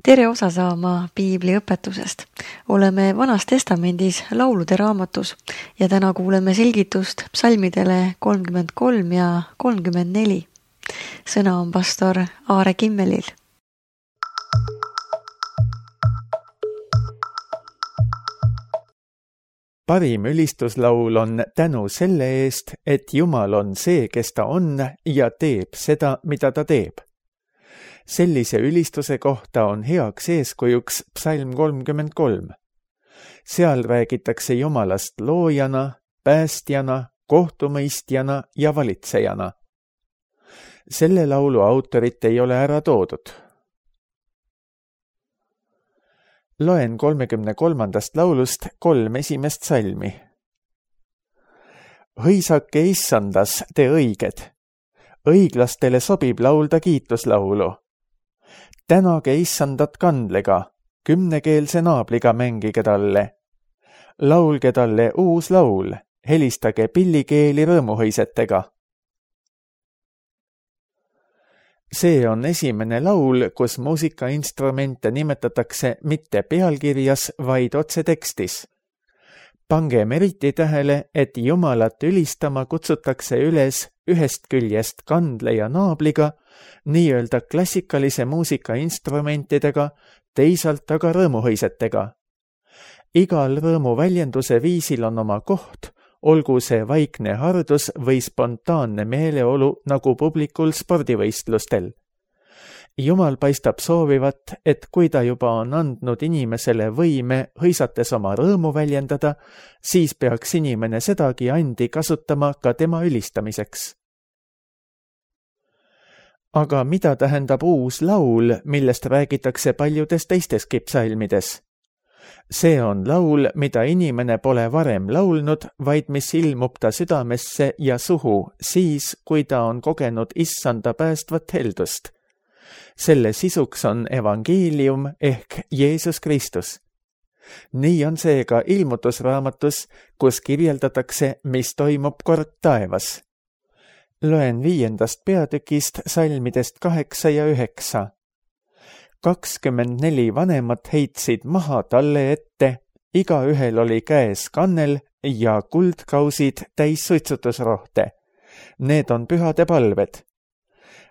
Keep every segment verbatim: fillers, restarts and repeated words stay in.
tere osa saama piibli õpetusest. Oleme Vanas Testamendis laulude raamatus ja täna kuuleme selgitust psalmidele kolmkümmend kolm ja kolmkümmend neli. Sõna on pastor Aare Kimmelil. Parim ülistuslaul on tänu selle eest, et Jumal on see, kes ta on ja teeb seda, mida ta teeb. Sellise ülistuse kohta on heaks eeskujuks psalm kolmkümmend kolm. Seal räägitakse Jumalast loojana, päästjana, kohtumõistjana ja valitsejana. Selle laulu autorit ei ole ära toodud. Loen kolmekümne kolmandast laulust kolm esimest salmi. Hõisake issandas, te õiged. Õiglastele sobib laulda kiituslaulu. Tänage issandat kandlega, kümnekeelse naabliga mängige talle. Laulge talle uus laul, helistage pillikeeli rõõmuhõisetega. See on esimene laul, kus muusikainstrumente nimetatakse mitte pealkirjas, vaid otse tekstis. Pangem eriti tähele, et Jumalat ülistama kutsutakse üles ühest küljest kandle ja naabliga, nii-öelda klassikalise muusikainstrumentidega, teisalt aga rõõmuhõisetega. Igal rõõmu väljenduse viisil on oma koht, olgu see vaikne hardus või spontaanne meeleolu nagu publikul spordivõistlustel. Jumal paistab soovivat, et kui ta juba on andnud inimesele võime hõisates oma rõõmu väljendada, siis peaks inimene sedagi andi kasutama ka tema ülistamiseks. Aga mida tähendab uus laul, millest räägitakse paljudes teisteski psalmides? See on laul, mida inimene pole varem laulnud, vaid mis ilmub ta südamesse ja suhu siis, kui ta on kogenud issanda päästvat heldust. Selle sisuks on evangeelium ehk Jeesus Kristus. Nii on see ka ilmutusraamatus, kus kirjeldatakse, mis toimub kord taevas. Loen viiendast peatükist salmidest kaheksa ja üheksa. kakskümmend neli vanemat heitsid maha talle ette, igaühel oli käes kannel ja kuldkausid täis suitsutusrohte. Need on pühade palved.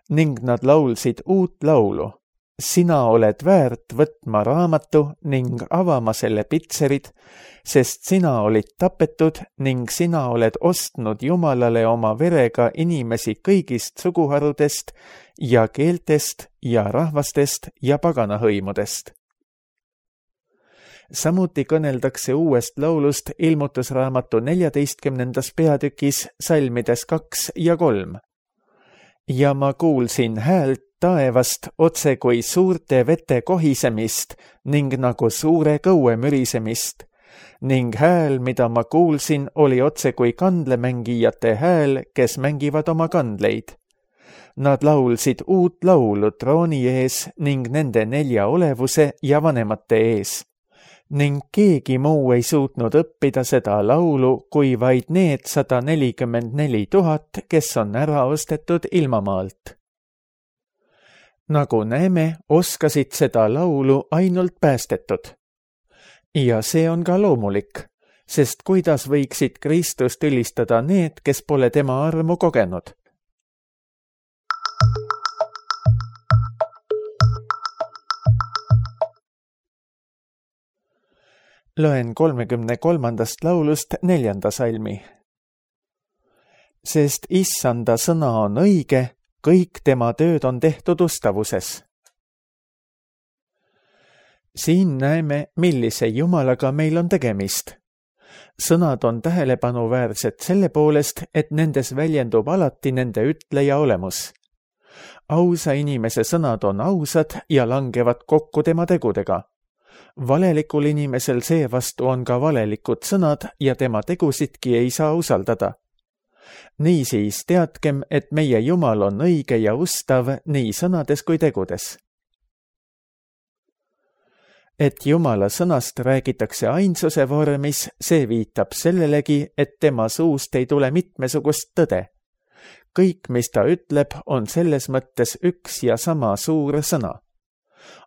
Ning nad laulsid uut laulu. Sina oled väärt võtma raamatu ning avama selle pitserid, sest sina olid tapetud ning sina oled ostnud Jumalale oma verega inimesi kõigist suguharudest ja keeltest ja rahvastest ja paganahõimudest. Samuti kõneldakse uuest laulust ilmutusraamatu neljateistkümnendas peatükis salmides kaks ja kolm. Ja ma kuulsin häält taevast otse kui suurte vete kohisemist ning nagu suure kõue mürisemist, ning hääl, mida ma kuulsin, oli otse kui kandlemängijate hääl, kes mängivad oma kandleid. Nad laulsid uut laulu trooni ees ning nende nelja olevuse ja vanemate ees. Ning keegi muu ei suutnud õppida seda laulu, kui vaid need sada nelikümmend neli tuhat, kes on ära ostetud ilmamaalt. Nagu näeme, oskasid seda laulu ainult päästetud. Ja see on ka loomulik, sest kuidas võiksid Kristust ülistada need, kes pole tema armu kogenud? Loen kolmekümne kolmandast laulust neljanda salmi. Sest issanda sõna on õige, kõik tema tööd on tehtud ustavuses. Siin näeme, millise Jumalaga meil on tegemist. Sõnad on tähelepanuväärsed selle poolest, et nendes väljendub alati nende ütleja olemus. Ausa inimese sõnad on ausad ja langevad kokku tema tegudega. Valelikul inimesel seevastu on ka valelikud sõnad ja tema tegusidki ei saa usaldada. Niisiis teadkem, et meie Jumal on õige ja ustav nii sõnades kui tegudes. Et Jumala sõnast räägitakse ainsuse vormis, see viitab sellelegi, et tema suust ei tule mitmesugust tõde. Kõik, mis ta ütleb, on selles mõttes üks ja sama suur sõna.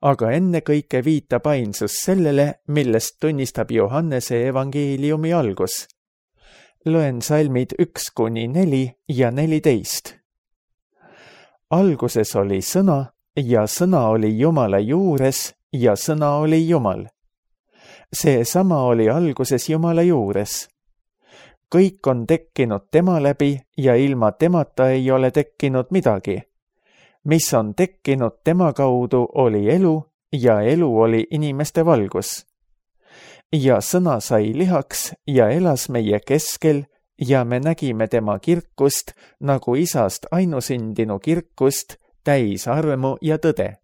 aga ennekõike viitab ainsus sellele, millest tunnistab Johannese evangeeliumi algus. Loen salmid üks kuni neli ja neliteist. Alguses oli sõna ja sõna oli Jumala juures ja sõna oli Jumal. See sama oli alguses Jumala juures. Kõik on tekkinud tema läbi ja ilma temata ei ole tekkinud midagi. Mis on tekkinud tema kaudu oli elu ja elu oli inimeste valgus. Ja sõna sai lihaks ja elas meie keskel ja me nägime tema kirkust nagu isast ainusündinu kirkust, täis armu ja tõde.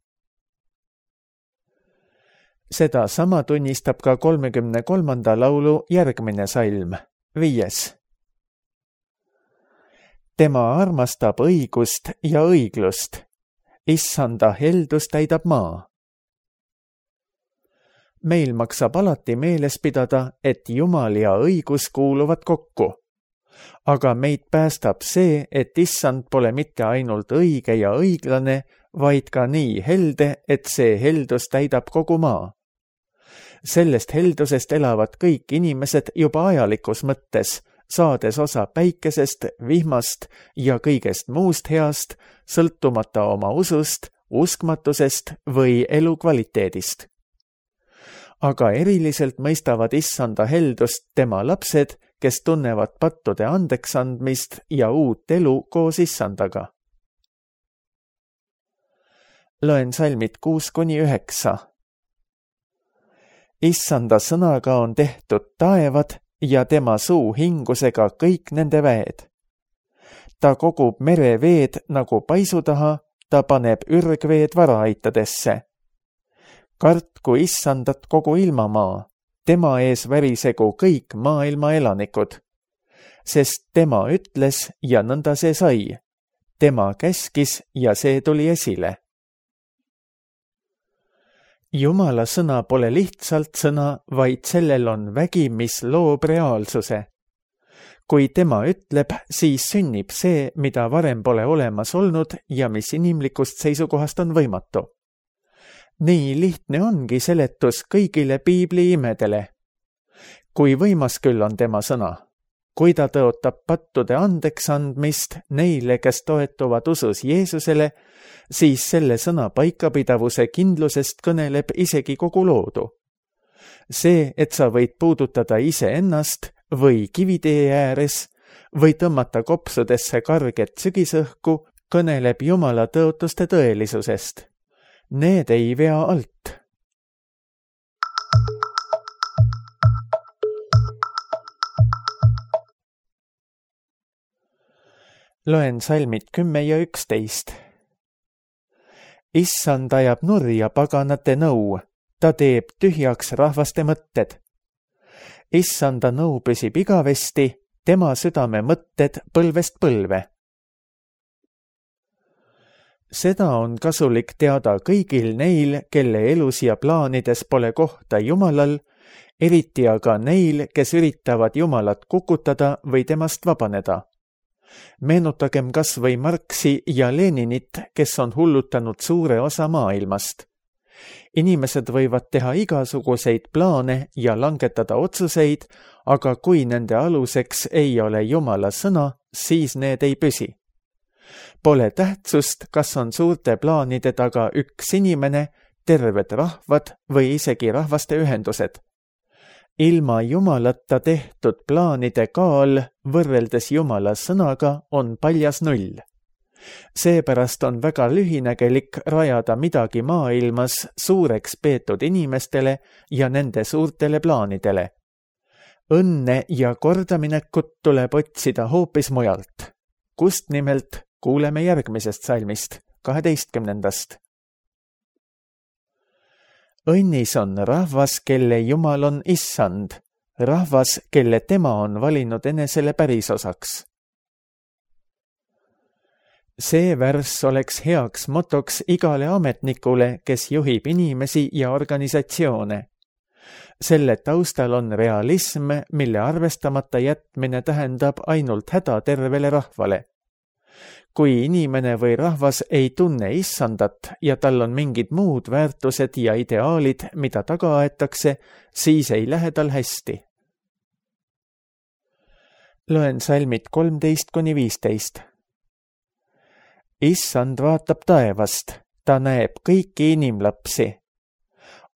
Seda sama tunnistab ka kolmekümne kolmanda laulu järgmine salm, viies. Tema armastab õigust ja õiglust. Issanda heldus täidab maa. Meil maksab alati meeles pidada, et Jumal ja õigus kuuluvad kokku. Aga meid päästab see, et issand pole mitte ainult õige ja õiglane, vaid ka nii helde, et see heldus täidab kogu maa. Sellest heldusest elavad kõik inimesed juba ajalikus mõttes, saades osa päikesest, vihmast ja kõigest muust heast, sõltumata oma usust, uskmatusest või elukvaliteedist. Aga eriliselt mõistavad issanda heldust tema lapsed, kes tunnevad pattude andeksandmist ja uut elu koos issandaga. Loen salmid kuus kuni üheksa. Issanda sõnaga on tehtud taevad ja tema suu hingusega kõik nende väed. Ta kogub mereveed nagu paisu taha, ta paneb ürgveed varaaitadesse. Kartku issandat kogu ilmamaa, tema ees värisegu kõik maailma elanikud. Sest tema ütles ja nõnda see sai. Tema käskis ja see tuli esile. Jumala sõna pole lihtsalt sõna, vaid sellel on vägi, mis loob reaalsuse. Kui tema ütleb, siis sünnib see, mida varem pole olemas olnud ja mis inimlikust seisukohast on võimatu. Nii lihtne ongi seletus kõigile piibli imedele. Kui võimas küll on tema sõna, kui ta tõotab pattude andeks andmist neile, kes toetuvad usus Jeesusele, siis selle sõna paikapidavuse kindlusest kõneleb isegi kogu loodu. See, et sa võid puudutada iseennast või kivitee ääres või tõmmata kopsudesse karget sügisõhku, kõneleb Jumala tõotuste tõelisusest. Need ei vea alt. Loen salmid kümme ja üksteist. Issand ajab nurja paganate nõu, ta teeb tühjaks rahvaste mõtted. Issanda nõu püsib igavesti, tema südame mõtted põlvest põlve. Seda on kasulik teada kõigil neil, kelle elus ja plaanides pole kohta Jumalal, eriti aga neil, kes üritavad Jumalat kukutada või temast vabaneda. Meenutagem kas või Marxi ja Leninit, kes on hullutanud suure osa maailmast. Inimesed võivad teha igasuguseid plaane ja langetada otsuseid, aga kui nende aluseks ei ole Jumala sõna, siis need ei püsi. Pole tähtsust, kas on suurte plaanide taga üks inimene, terved rahvad või isegi rahvaste ühendused. Ilma Jumalata tehtud plaanide kaal võrreldes Jumala sõnaga on paljas null. Seepärast on väga lühinägelik rajada midagi maailmas suureks peetud inimestele ja nende suurtele plaanidele. Õnne ja kordaminekut tuleb otsida hoopis mujalt. Kust nimelt kuuleme järgmisest salmist, kaheteistkümnendast. Õnnis on rahvas, kelle Jumal on issand, rahvas, kelle tema on valinud enesele pärisosaks. See värss oleks heaks motoks igale ametnikule, kes juhib inimesi ja organisatsioone. Selle taustal on realism, mille arvestamata jätmine tähendab ainult häda tervele rahvale. kui inimene või rahvas ei tunne issandat ja tal on mingid muud väärtused ja ideaalid, mida taga aetakse, siis ei lähe tal hästi. Loen salmid kolmteist kuni viisteist. Issand vaatab taevast, ta näeb kõiki inimlapsi.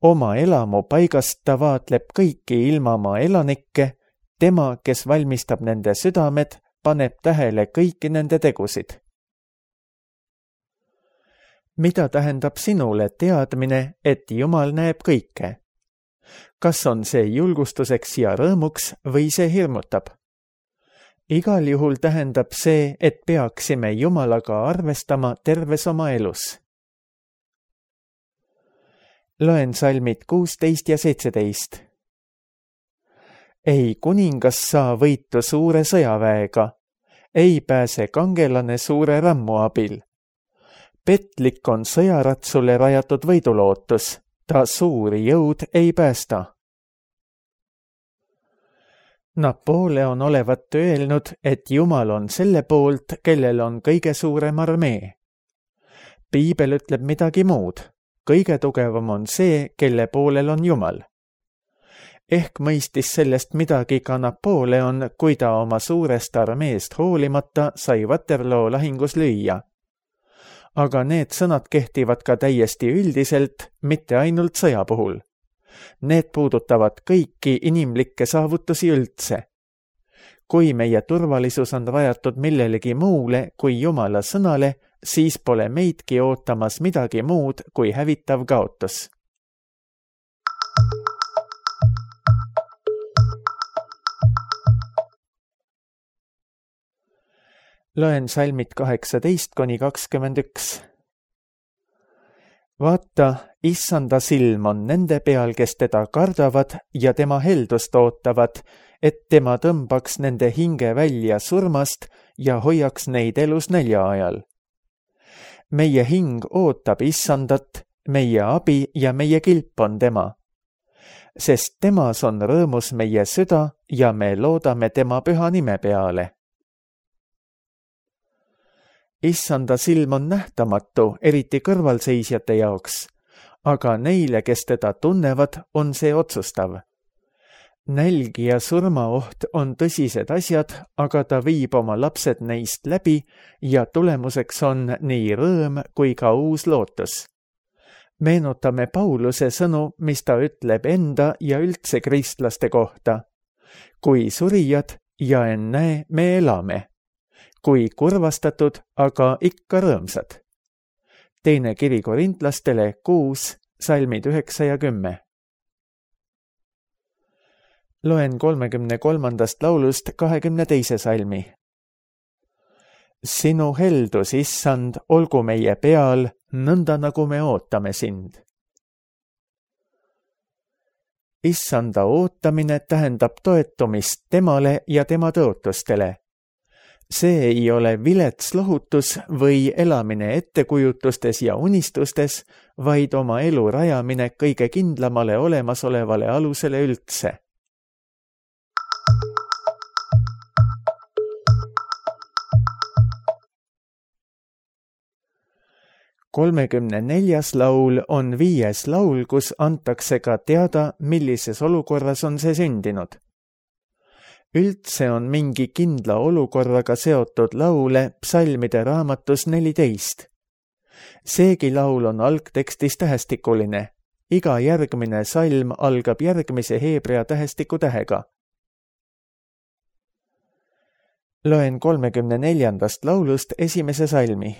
Oma elamu paigast ta vaatleb kõiki ilmamaa elanikke, tema, kes valmistab nende südamed, paneb tähele kõiki nende tegusid. Mida tähendab sinule teadmine, et Jumal näeb kõike? Kas on see julgustuseks ja rõõmuks või see hirmutab? Igal juhul tähendab see, et peaksime Jumalaga arvestama terves oma elus. Loen salmid kuusteist ja seitseteist. Ei kuningas saa võitu suure sõjaväega, ei pääse kangelane suure rammu abil. Petlik on sõjaratsule rajatud võidulootus, ta suuri jõud ei päästa. Napoleon olevat öelnud, et Jumal on selle poolt, kellel on kõige suurem armee. Piibel ütleb midagi muud. Kõige tugevam on see, kelle poolel on Jumal. Ehk mõistis sellest midagi ka Napoleon, kui ta oma suurest armeest hoolimata sai Waterloo lahingus lüüa. Aga need sõnad kehtivad ka täiesti üldiselt, mitte ainult sõja puhul. Need puudutavad kõiki inimlikke saavutusi üldse. Kui meie turvalisus on rajatud millelegi muule kui Jumala sõnale, siis pole meidki ootamas midagi muud kui hävitav kaotus. Loen salmid kaheksateist kuni kakskümmend üks. Vaata, issanda silm on nende peal, kes teda kardavad ja tema heldust ootavad, et tema tõmbaks nende hinge välja surmast ja hoiaks neid elus nälja ajal. Meie hing ootab issandat, meie abi ja meie kilp on tema. Sest temas on rõõmus meie süda ja me loodame tema püha nime peale. Issanda silm on nähtamatu, eriti kõrvalseisjate jaoks, aga neile, kes teda tunnevad, on see otsustav. Nälg ja surmaoht on tõsised asjad, aga ta viib oma lapsed neist läbi ja tulemuseks on nii rõõm kui ka uus lootus. Meenutame Pauluse sõnu, mis ta ütleb enda ja üldse kristlaste kohta. Kui surijad ja ennäe, me elame. Kui kurvastatud, aga ikka rõõmsad. Teine kiri korintlastele kuus, salmid üheksa ja kümme. Loen kolmekümne kolmandast laulust kahekümne teise salmi. Sinu heldus, issand, olgu meie peal, nõnda nagu me ootame sind. Issanda ootamine tähendab toetumist temale ja tema tõotustele. See ei ole vilets lohutus või elamine ettekujutustes ja unistustes, vaid oma elu rajamine kõige kindlamale olemasolevale alusele üldse. kolmekümne neljas laul on viies laul, kus antakse ka teada, millises olukorras on see sündinud. Üldse on mingi kindla olukorraga seotud laule psalmide raamatus neliteist. Seegi laul on algtekstis tähestikuline. Iga järgmine salm algab järgmise heebrea tähestiku tähega. Loen kolmekümne neljandast laulust esimese salmi.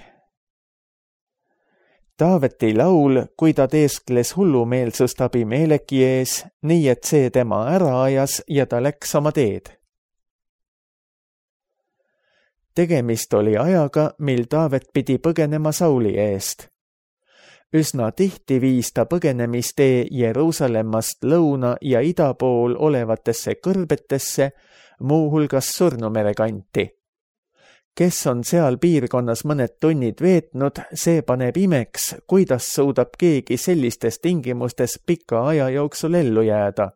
Taaveti laul, kui ta teeskles hullumeelsust Abimeleki ees, nii et see tema ära ajas ja ta läks oma teed. Tegemist oli ajaga, mil Taavet pidi põgenema Sauli eest. Üsna tihti viis ta põgenemistee Jeruusalemmast lõuna ja ida pool olevatesse kõrbetesse, muuhulgas Surnumere kanti. Kes on seal piirkonnas mõned tunnid veetnud, see paneb imeks, kuidas suudab keegi sellistes tingimustes pika aja jooksul ellu jääda.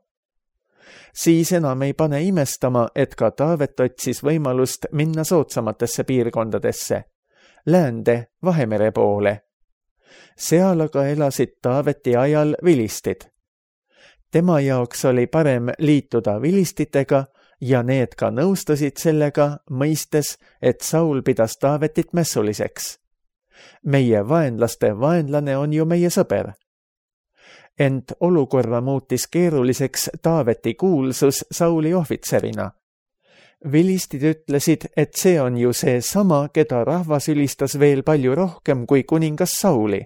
Siis enam ei pane imestama, et ka Taavet otsis võimalust minna soodsamatesse piirkondadesse. läände Vahemere poole. Seal aga elasid Taaveti ajal vilistid. Tema jaoks oli parem liituda vilistitega ja need ka nõustusid sellega, mõistes, et Saul pidas Taavetit mässuliseks. Meie vaenlaste vaenlane on ju meie sõber. Ent olukorra muutis keeruliseks Taaveti kuulsus Sauli ohvitserina. Vilistid ütlesid, et see on ju see sama, keda rahvas ülistas veel palju rohkem kui kuningas Sauli.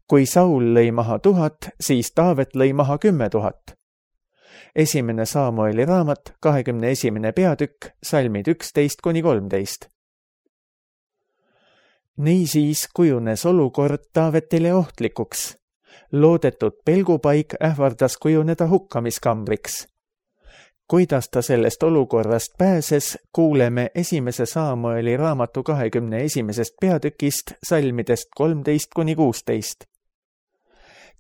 Kui Saul lõi maha tuhat, siis Taavet lõi maha kümme tuhat. Esimene Saamueli raamat, kahekümne esimene peatükk, salmid üksteist kuni kolmteist. Niisiis kujunes olukord Taavetile ohtlikuks. Loodetud pelgupaik ähvardas kujuneda hukkamiskambriks. Kuidas ta sellest olukorrast pääses, kuuleme esimese Saamueli raamatu kahekümne esimesest peatükist, salmidest kolmteist kuni kuusteist.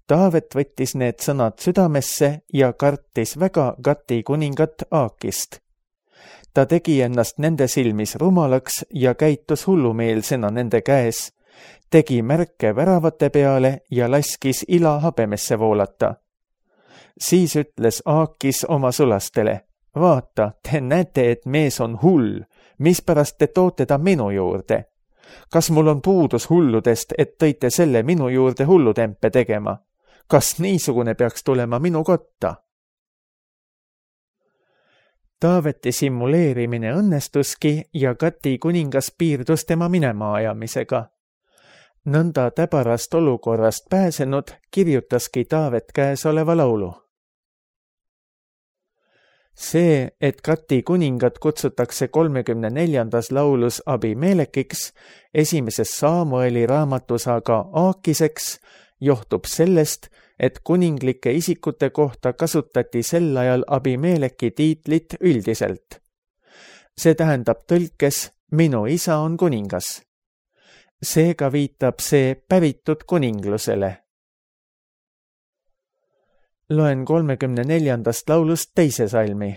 Taavet võttis need sõnad südamesse ja kartis väga Gati kuningat Aakist. Ta tegi ennast nende silmis rumalaks ja käitus hullumeelsena nende käes, tegi märke väravate peale ja laskis ila habemesse voolata. Siis ütles Aakis oma sulastele, vaata, te näete, et mees on hull, mispärast te toote ta minu juurde. Kas mul on puudus hulludest, et tõite selle minu juurde hullutempe tegema? Kas niisugune peaks tulema minu kotta? Taaveti simuleerimine õnnestuski ja Gati kuningas piirdus tema minema ajamisega. Nõnda täbarast olukorrast pääsenud kirjutaski Taavet käesoleva laulu. See, et Gati kuningat kutsutakse kolmekümne neljandas laulus Abimelekiks, esimeses Saamueli raamatus aga Aakiseks, johtub sellest, et kuninglike isikute kohta kasutati sel ajal Abimeleki tiitlit üldiselt. See tähendab tõlkes, minu isa on kuningas. Seega viitab see päritud kuninglusele. Loen kolmekümne neljandast laulust teise salmi.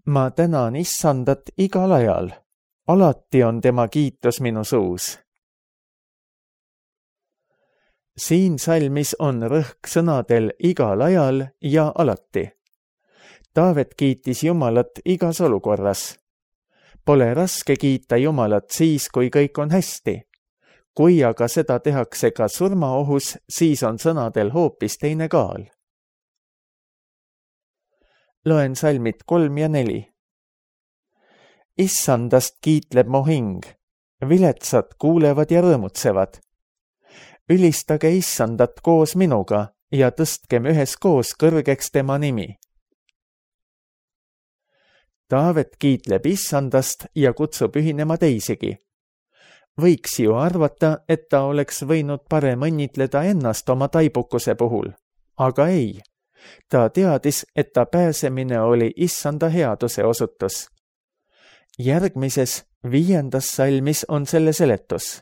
Ma tänan issandat igal ajal. Alati on tema kiitus minu suus. Siin salmis on rõhk sõnadel igal ajal ja alati. Taavet kiitis Jumalat igas olukorras. Pole raske kiita Jumalat siis, kui kõik on hästi. Kui aga seda tehakse ka surmaohus, siis on sõnadel hoopis teine kaal. Loen salmid kolm ja neli. Issandast kiitleb mu hing, viletsad kuulevad ja rõõmutsevad. Ülistage issandat koos minuga ja tõstkem üheskoos kõrgeks tema nimi. Taavet kiitleb issandast ja kutsub ühinema teisigi. Võiks ju arvata, et ta oleks võinud parem õnnitleda ennast oma taibukuse puhul, aga ei. Ta teadis, et ta pääsemine oli issanda headuse osutus. Järgmises, viiendas salmis on selle seletus.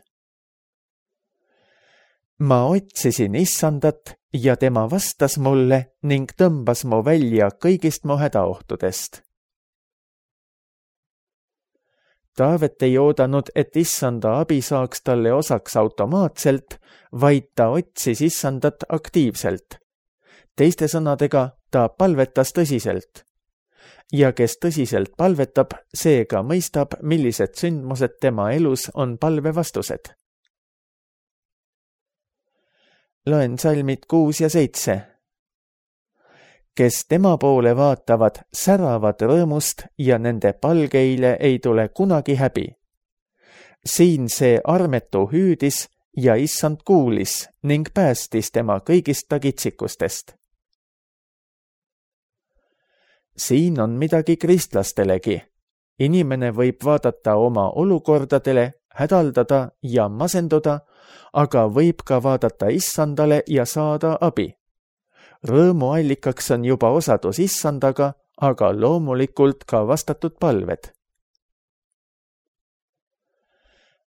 Ma otsisin issandat ja tema vastas mulle ning tõmbas mu välja kõigist mu hädaohtudest. Taavet ei oodanud, et issanda abi saaks talle osaks automaatselt, vaid ta otsis issandat aktiivselt. Teiste sõnadega, ta palvetas tõsiselt. Ja kes tõsiselt palvetab, seega mõistab, millised sündmused tema elus on palve vastused. Loen salmid kuus ja seitse. Kes tema poole vaatavad, säravad rõõmust ja nende palgeile ei tule kunagi häbi. Siin see armetu hüüdis ja issand kuulis ning päästis tema kõigist tagitsikustest. Siin on midagi kristlastelegi. Inimene võib vaadata oma olukordadele, hädaldada ja masenduda, aga võib ka vaadata issandale ja saada abi. Rõõmu allikaks on juba osadus issandaga, aga loomulikult ka vastatud palved.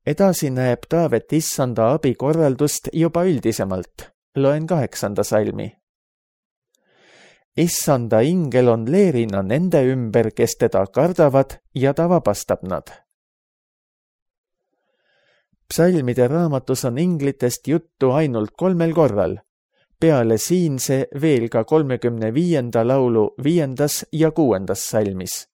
Edasi näeb Taavet issanda abi korraldust juba üldisemalt. Loen kaheksanda salmi. Issanda ingel on leerina nende ümber, kes teda kardavad ja ta vabastab nad. Psalmide raamatus on inglitest juttu ainult kolmel korral, peale siinse veel ka kolmekümne viienda laulu viiendas ja kuuendas salmis.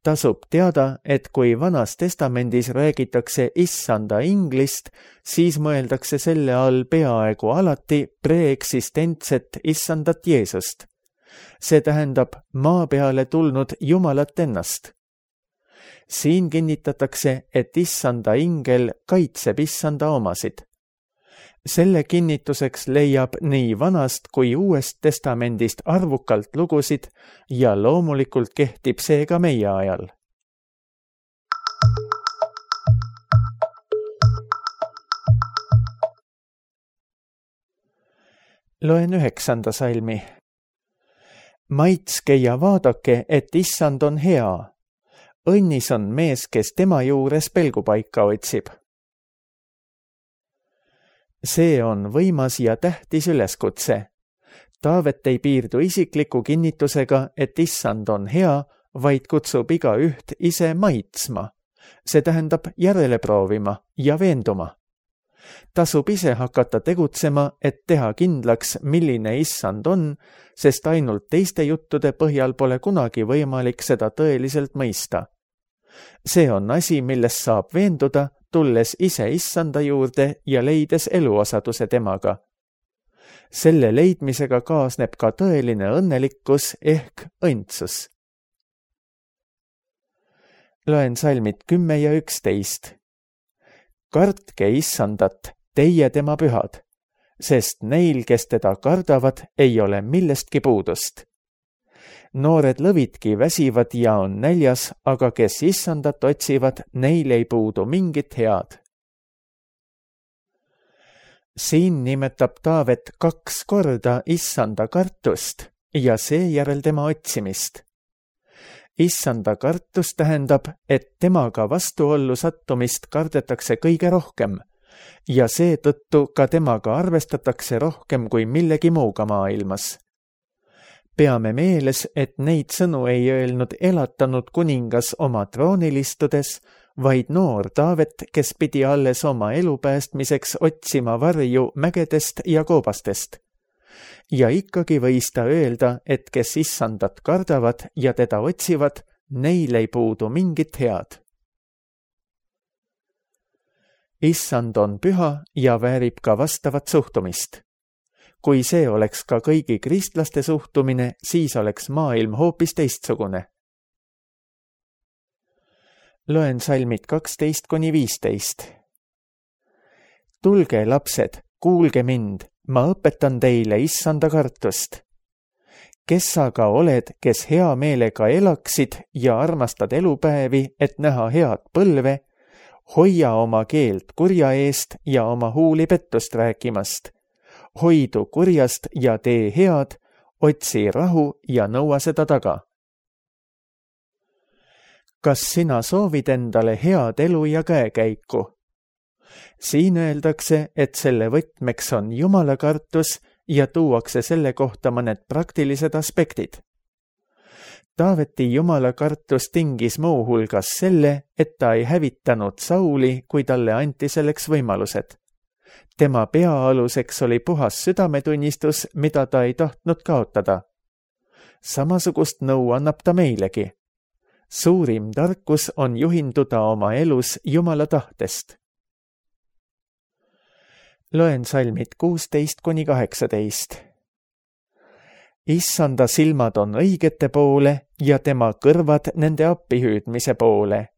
Tasub teada, et kui Vanas Testamendis räägitakse issanda inglist, siis mõeldakse selle all peaaegu alati preeksistentset issandat Jeesust. See tähendab maa peale tulnud Jumalat ennast. Siin kinnitatakse, et issanda ingel kaitseb issanda omasid. Selle kinnituseks leiab nii Vanast kui Uuest Testamendist arvukalt lugusid ja loomulikult kehtib see ka meie ajal. Loen üheksanda salmi. Maitske ja vaadake, et issand on hea. Õnnis on mees, kes tema juures pelgupaika otsib. See on võimas ja tähtis üleskutse. Taavet ei piirdu isikliku kinnitusega, et issand on hea, vaid kutsub iga üht ise maitsma. See tähendab järele proovima ja veenduma. Tasub ise hakata tegutsema, et teha kindlaks, milline issand on, sest ainult teiste juttude põhjal pole kunagi võimalik seda tõeliselt mõista. See on asi, milles saab veenduda, tulles ise issanda juurde ja leides eluosaduse temaga. Selle leidmisega kaasneb ka tõeline õnnelikkus ehk õndsus. Loen salmid kümme ja üksteist. Kartke issandat, teie tema pühad, sest neil, kes teda kardavad, ei ole millestki puudust. Noored lõvidki väsivad ja on näljas, aga kes issandat otsivad, neil ei puudu mingit head. Siin nimetab Taavet kaks korda issanda kartust ja seejärel tema otsimist. Issanda kartus tähendab, et temaga vastuollu sattumist kardetakse kõige rohkem ja seetõttu ka temaga arvestatakse rohkem kui millegi muuga maailmas. Peame meeles, et neid sõnu ei öelnud elatanud kuningas oma troonil istudes, vaid noor Taavet, kes pidi alles oma elu päästmiseks otsima varju mägedest ja koobastest. Ja ikkagi võis ta öelda, et kes issandat kardavad ja teda otsivad, neil ei puudu mingit head. Issand on püha ja väärib ka vastavat suhtumist. Kui see oleks ka kõigi kristlaste suhtumine, siis oleks maailm hoopis teistsugune. Loen salmid kaksteist kuni viisteist. Tulge, lapsed, kuulge mind, ma õpetan teile issanda kartust. Kes aga oled, kes hea meelega elaksid ja armastad elupäevi, et näha head põlve, hoia oma keelt kurja eest ja oma huuli pettust rääkimast. Hoidu kurjast ja tee head, otsi rahu ja nõua seda taga. Kas sina soovid endale head elu ja käekäiku? Siin öeldakse, et selle võtmeks on Jumala kartus ja tuuakse selle kohta mõned praktilised aspektid. Taaveti Jumala kartus tingis muu hulgas selle, et ta ei hävitanud Sauli, kui talle anti selleks võimalused. Tema peaaluseks oli puhas südametunnistus, mida ta ei tahtnud kaotada. Samasugust nõu annab ta meilegi. Suurim tarkus on juhinduda oma elus Jumala tahtest. Loen salmid kuusteist kuni kaheksateist. Issanda silmad on õigete poole ja tema kõrvad nende appihüüdmise poole.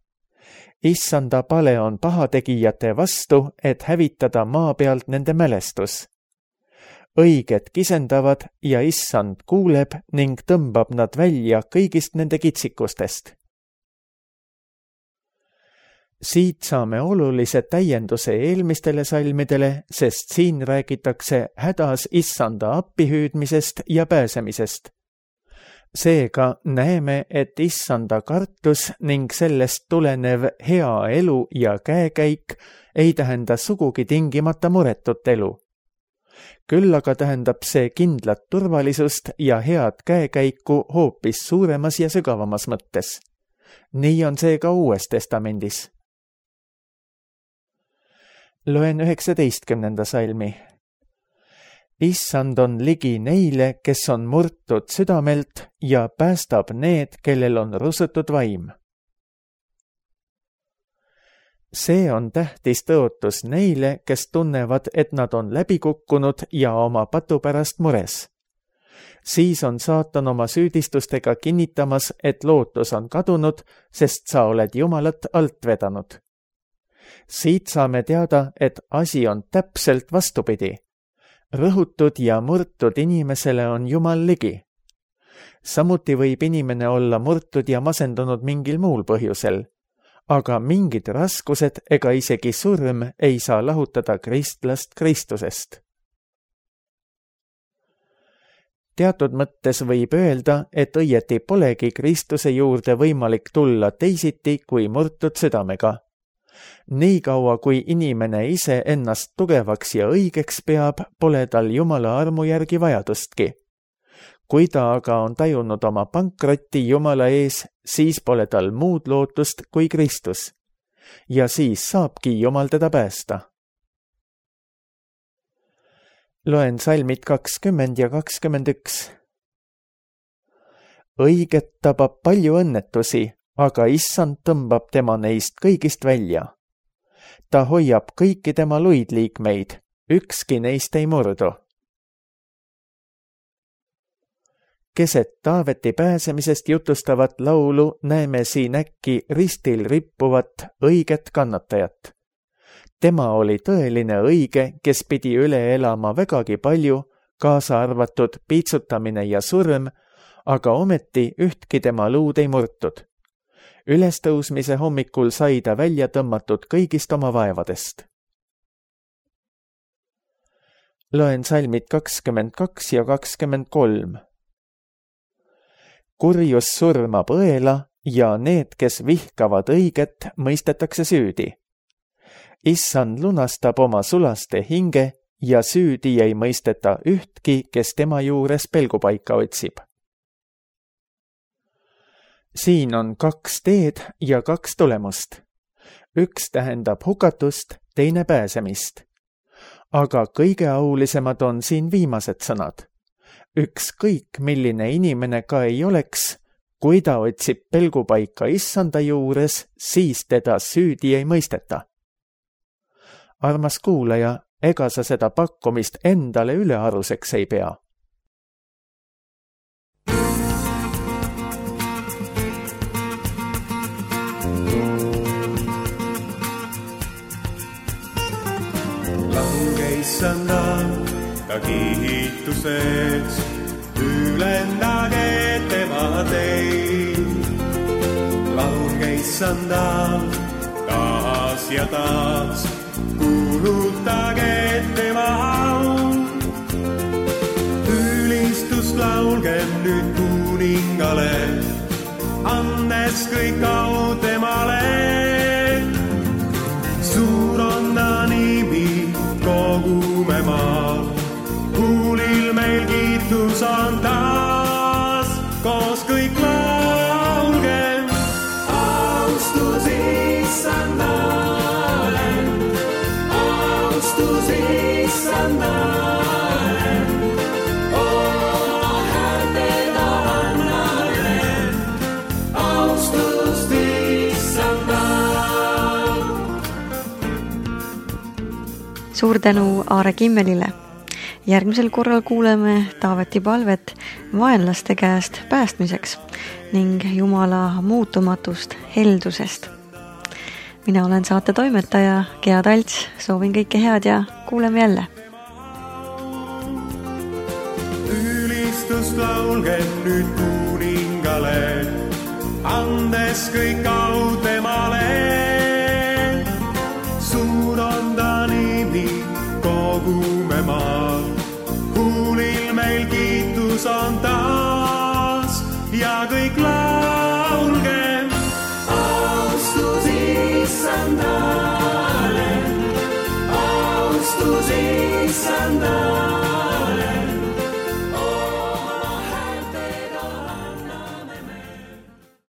Issanda pale on pahategijate vastu, et hävitada maa pealt nende mälestus. Õiged kisendavad ja issand kuuleb ning tõmbab nad välja kõigist nende kitsikustest. Siit saame olulise täienduse eelmistele salmidele, sest siin räägitakse hädas issanda appihüüdmisest ja pääsemisest. Seega näeme, et issanda kartus ning sellest tulenev hea elu ja käekäik ei tähenda sugugi tingimata muretut elu. Küll aga tähendab see kindlat turvalisust ja head käekäiku hoopis suuremas ja sügavamas mõttes. Nii on see ka Uues Testamendis. Loen üheksateistkümnenda salmi. Issand on ligi neile, kes on murtud südamelt ja päästab need, kellel on rusutud vaim. See on tähtis tõotus neile, kes tunnevad, et nad on läbi kukkunud ja oma patu pärast mures. Siis on saatan oma süüdistustega kinnitamas, et lootus on kadunud, sest sa oled Jumalat alt vedanud. Siit saame teada, et asi on täpselt vastupidi. Rõhutud ja murtud inimesele on Jumal ligi. Samuti võib inimene olla murtud ja masendunud mingil muul põhjusel, aga mingid raskused ega isegi surm ei saa lahutada kristlast Kristusest. Teatud mõttes võib öelda, et õieti polegi Kristuse juurde võimalik tulla teisiti kui murtud südamega. Nii kaua, kui inimene ise ennast tugevaks ja õigeks peab, pole tal Jumala armu järgi vajadustki. Kui ta aga on tajunud oma pankrotti Jumala ees, siis pole tal muud lootust kui Kristus. Ja siis saabki Jumal teda päästa. Loen salmid kakskümmend ja kakskümmend üks. Õiget tabab palju õnnetusi, aga issand tõmbab tema neist kõigist välja. Ta hoiab kõiki tema luidliikmeid, ükski neist ei murdu. Keset Taaveti pääsemisest jutustavat laulu näeme siin äkki ristil rippuvat õiget kannatajat. Tema oli tõeline õige, kes pidi üle elama vägagi palju, kaasa arvatud piitsutamine ja surm, aga ometi ühtki tema luud ei murtud. Ülestõusmise hommikul sai ta välja tõmmatud kõigist oma vaevadest. Loen salmid kakskümmend kaks ja kakskümmend kolm. Kurjus surmab õela ja need, kes vihkavad õiget, mõistetakse süüdi. Issand lunastab oma sulaste hinge ja süüdi ei mõisteta ühtki, kes tema juures pelgupaika otsib. Siin on kaks teed ja kaks tulemust. Üks tähendab hukatust, teine pääsemist. Aga kõige aulisemad on siin viimased sõnad. Ükskõik, milline inimene ka ei oleks, kui ta otsib pelgupaika issanda juures, siis teda süüdi ei mõisteta. Armas kuulaja, ega sa seda pakkumist endale ülearuseks ei pea. Lange issanda ta kiituseks, ülendage tema teid. Laulge issanda taas ja taas, kuulutage tema au. Ülistust laulgem nüüd kuningale, andes kõik au temale. Suur on ta nimi kogume maal, kuulil meil kiitus on taas, koos kõik laulgem. Austus issandale, austus issandale, oma häältega annale, austust issandale. Suur tänu Aare Kimmelile. Järgmisel korral kuuleme Taaveti palvet vaenlaste käest päästmiseks ning Jumala muutumatust heldusest. Mina olen saate toimetaja Gea Talts, soovin kõike head ja kuuleme jälle. Ülistust laulgem nüüd kuningale, andes kõik au temale. Suur on ta nimi kogume maal, kuulil meil kiitus on taas ja kõik laulgem. Austus issandale, austus issandale.